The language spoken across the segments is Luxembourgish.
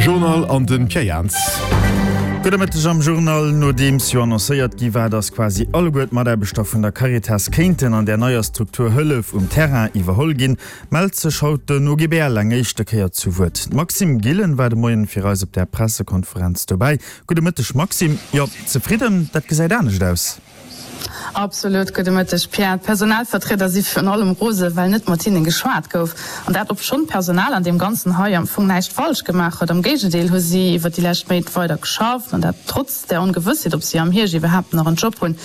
Journal an den Pierre Jans. Gudde Mëtteg am Journal. Nodeems jo annoncéiert gi war, datt quasi alleguer d'Mataarbechter vun der Caritas kéinten an där neier Struktur Hëllef um Terrain iwwerholl ginn, mellt sech haut den OGBL eng éischte Kéier zu Wuert. D'Maxime Gillen war de Moien fir eis op där Pressekonferenz dobäi. Gudde Mëtteg Maxime. Jo, zefridden, dat gesäit anescht aus. Absolut. Gudde Mëtteg, Pierre. D'Personalvertrieder si virun allem rose well net mat hinnen geschwat gouf. An dat obschonn d'Personal an deem Ganzen hei am Fong näischt falsch gemaach huet. Am Géigendeel hu si iwwer déi lescht Méint weider geschafft, an dat trotz der Ongewëssheet, ob si am Hierscht iwwerhaapt nach en Job hunn.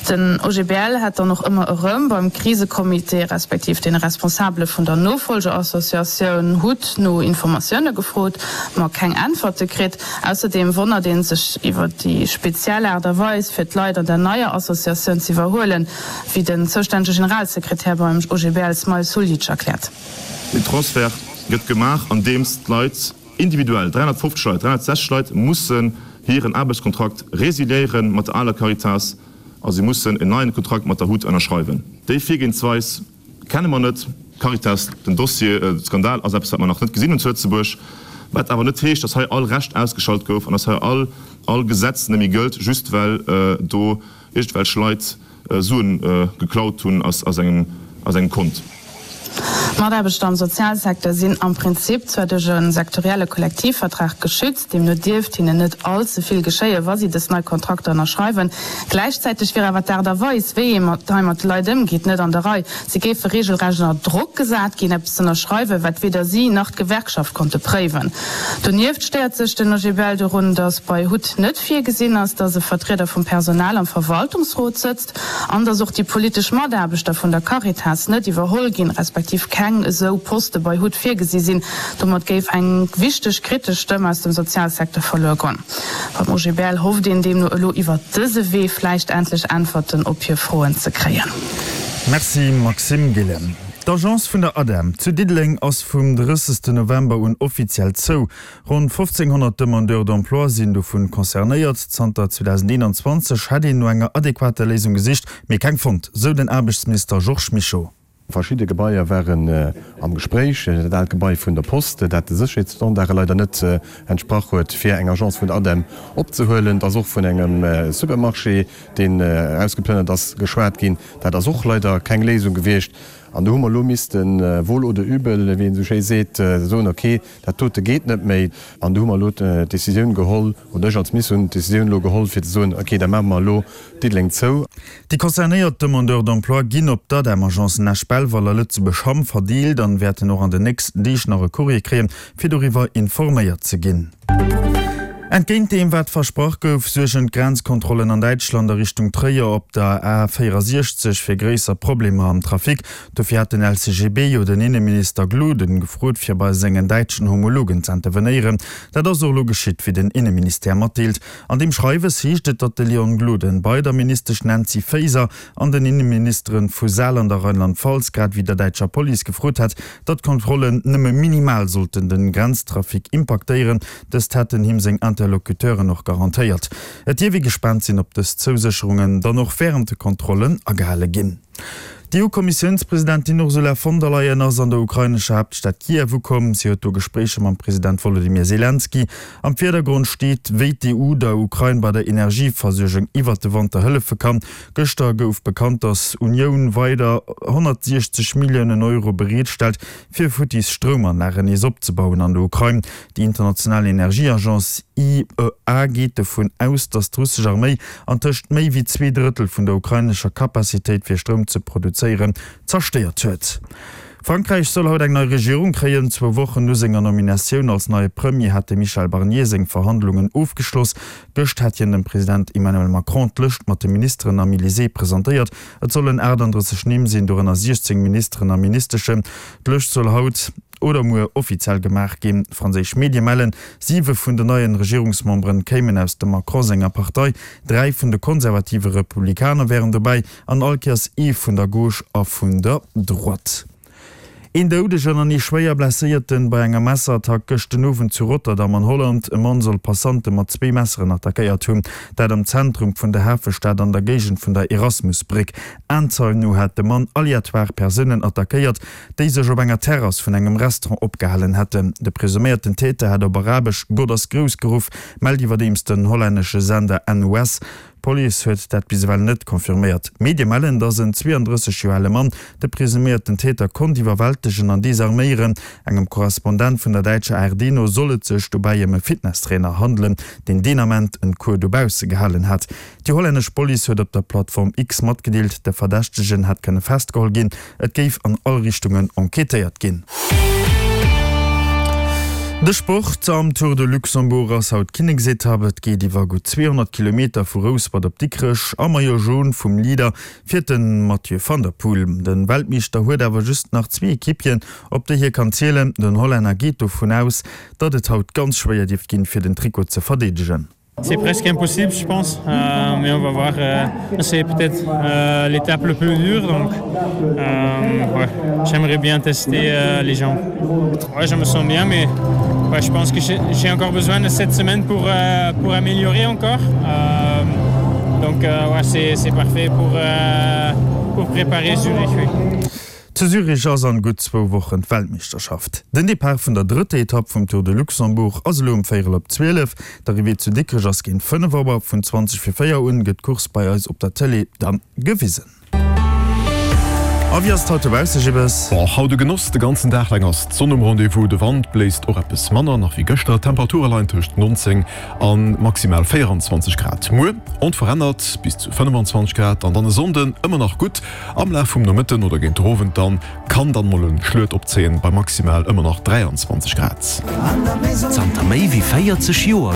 Den OGBL hätt dann och ëmmer erëm beim Krisecomité, respektiv deene Responsabele vun der Nofolgeassociatioun hut no Informatioune gefrot, ma keng Äntwerte kritt. Ausserdeem wonnert ee sech iwwer déi speziell Aart a Weis, fir d'Leit an der neier Associatioun ze iwwerhuelen, wéi den zoustännege Generalsekretär beim OGBL Smail Suljic erkläert. Den Transfert gëtt gemaach, andeems d'Leit individuell, 350 Leit, 360 Leit mussen hiren Aarbechtskontrakt resiliéiere mat der aler Caritas a si mussen en neien Kontrakt mat der hut ënnerschreiwen. Déi Virgehensweis Kenne mer net. Caritas, den Dossier, de Skandal ass eppes, wat mer nach net gesinn hunn zu Lëtzebuerg. Wat awer net heescht, datt hei all Recht ausgeschalt gouf an datt hei all all Gesetz net méi gëllt, just well do iergendwelch Leit Suen geklaut hunn aus engem aus engem Kont. D'Mataarbechter am Sozialsecteur sinn am Prinzip zwar duerch e sektorielle Kollektivvertrag geschützt, deemno dierft hinnen net all ze vill geschéien, wa si dës nei Kontrakter ënnerschreiwen. Gläichzäiteg wier awer d'Aart a Weis, wéi ee mat hei mat de Leit ëmgeet, net an der Rei. Si géife reegelrecht ënner Drock gesat ginn, eppes z'ënnerschreiwen, wat weder si nach d'Gewerkschaft konnte préiwen. Donieft stéiert sech den OGBL dorun, datt bei hut net virgesinn ass, datt e Vertrieder vum Personal am Verwaltungsrot sëtzt an datt och déi politesch Mataarbechter vun der Caritas net iwwerholl ginn, respektiv keng esou Poste bei hut virgesi sinn. Domat géif eng wichteg kritesch Stëmm aus dem Sozialsecteur verluer goen. Beim OGBL hofft een deemno elo iwwer dëse Wee vläicht endlech Äntwerten op hir Froen ze kréien. Merci Maxime Gillen. D'Agence vun der ADEM zu Diddeleng ass vum 30 November un offiziell zou. Ronn 1.500 Demandeurs d'emploi sinn dovun concernéiert. Zanter 2021 hätt een no enger adequater Léisung gesicht, mee keng fonnt, sou den Aarbechtsminister Georges Mischo. Verschidde Gebaier waren am Gespréich, dat aalt Gebai vun der Post, dat de Sécherheetsstandarde leider net entsprach huet, fir eng Agence vun der ADEM opzehuelen. Et ass och vun engem Supermarché, deen erausgeplënnert ass, geschwat ginn. Dat ass och leider keng Léisung gewiescht. An do hu mer elo missten, wohl oder übel, wéi een esou schéi seet, soen, okay, Dat dote geet net méi. An do hu mer elo d'Decisioun geholl, oder ech als Minister hunn d'Decisioun elo geholl, fir ze soen, okay, da maache mer elo Diddeleng zou. Déi concernéiert Demandeurs d'emploi ginn op d'ADEM-Agencen Esch-Belval a Lëtzebuerg-Hamm verdeelt an wäerten och an den nächsten Deeg nach e Courrier kréien, fir doriwwer informéiert ze ginn. Entgéint deem wat versprach gouf, suergen d'Grenzkontrollen an Däitschland a Richtung Tréier op der A 64 fir gréisser Problemer am Trafic. Dofir hat den LCGB jo den Inneminister Gloden gefrot, fir bei sengen däitschen Homologen z'intervenéieren. Dat ass och elo geschitt, wéi den Inneministère matdeelt. An deem Schreiwes heescht et, datt de Leon Gloden bei der Ministesch Nancy Faeser an den Inneministere vu Saarland a Rheinland-Pfalz, grad ewéi der däitscher Police gefrot hätt, datt d'Kontrollen nëmme minimal sollten den Grenztrafic impaktéieren. Dëst hätten him seng Interlocuteuren och garantéiert. Et dierf ee gespaant sinn, ob dës Zousécherungen dann och wärend de Kontrollen agehale ginn. D'EU-Kommissiounspresidentin Ursula von der Leyen ass an der ukrainescher Haaptstad Kiew ukomm. Si huet do Gespréicher mam President Wolodymyr Selenskyj. Am Virdergrond steet, wéi d'EU der Ukrain bei der Energieversuergung iwwert de Wanter hëllefe kann. Gëschter gouf bekannt, datt Unioun weider 160 Milliounen Euro bereetstellt, fir futtis Stroumanlagen nees opzebauen an der Ukrain. Déi international Energieagence IEA geet dovun aus, datt d'russesch Arméi antëscht méi wéi 2 Drëttel vun der ukrainescher Capacitéit fir Stroum ze produzéieren zerstéiert huet. Frankräich soll haut eng nei Regierung kréien. Zwou Wochen no senger Nominatioun als neie Premier hat de Michel Barnier seng Verhandlungen ofgeschloss. Gëscht hat hien dem President Emmanuel Macron d'Lëscht mat de Ministeren am Elysée presentéiert. Et sollen 38 Nimm sinn, dorënner 16 Ministeren a Ministeschen. D'Lëscht soll haut oder muer offiziell gemaach ginn. Franséisch Medie mellen, siwe vun den neien Regierungsmemberen kéimen aus dem Macron senger Partei, 3 vun de konservative Republikaner wären dobäi an all Kéiers ee vun der Gauche a vun der Droite. Een Doudegen an ee schwéier Blesséierten bei enger Messerattack gëscht den Owend zu Rotterdam an Holland. E Mann soll Passante mat zwee Messeren attackéiert hunn, dat am Zentrum vun der Hafestad an der Géigend vun der Erasmusbréck. Aenzeien no hat de Mann aleatoire Persounen attackéiert, déi sech op enger Terrass vun engem Restaurant opgehalen hätten. De presuméierten Täter hätt op Arabesch Gott ass grouss geruff, mellt iwwerdeems den hollännesche Sender NOS. D'Police huet dat bis ewell net confirméiert. D'Medie mellen, datt en 32 Joer ale Mann de presuméierten Täter konnt iwwerwältegen an desarméieren. Engem Korrespondent vun der däitscher ARD no soll et sech dobäi ëm e Fitnesstrainer handelen, deen deen Ament en Cours dobausse gehalen hat. Déi hollännesch Police huet op der Plattform X matgedeelt, de Verdächtegen hätt kënne festgeholl ginn. Et géif an all Richtungen enquêtéiert ginn. De Sport, Am Tour de Luxembourg ass haut d'Kinneksetapp. Et geet iwwer gutt 200 Kilometer vu Rouspert op Dikrech. Am Maillot Jaune vum Leader fiert de Mathieu van der Poel. De Weltmeeschter huet awer just nach zwee Equipieren, op déi hie kann zielen. Den Hollänner geet dovun aus, datt et haut ganz schwéier dierft ginn, fir den Trikot ze verdeedegen. C'est presque impossible je pense euh, mais on va voir euh, c'est peut-être euh, l'étape le plus dure donc euh, ouais, j'aimerais bien tester euh, les gens ouais, je me sens bien mais ouais, je pense que j'ai encore besoin de cette semaine pour euh, pour améliorer encore euh, donc euh, ouais, c'est parfait pour euh, pour préparer Zurich oui. Zu Zürich ass an gutt zwou Wochen d'Weltmeeschterschaft. Den Depart vun der drëtter Etapp vum Tour de Luxembourg ass elo um véierel op 12. D'Arrivée zu Dikrech ass géint 5 Auer. Vun 20 vir 4 un gëtt d'Course bei eis op der Tëlee dann gewisen. A wéi ass et haut dobausse, Jibbes? Bon, haut e Genoss, de ganzen Dag laang ass d'Sonn um Rendez-vous, de Wand bléist och eppes manner nach wéi gëschter, d'Temperature leien tëscht 19 a maximal 24 Grad. Muer onverännert bis zu 25 Grad an dann e Sonnden ëmmer nach gutt. Am Laf vum Nomëtten oder géint de Owend dann kann dann mol en Schluet opzéien bei maximal ëmmer nach 23 Grad. Zanter méi wéi 40 Joer.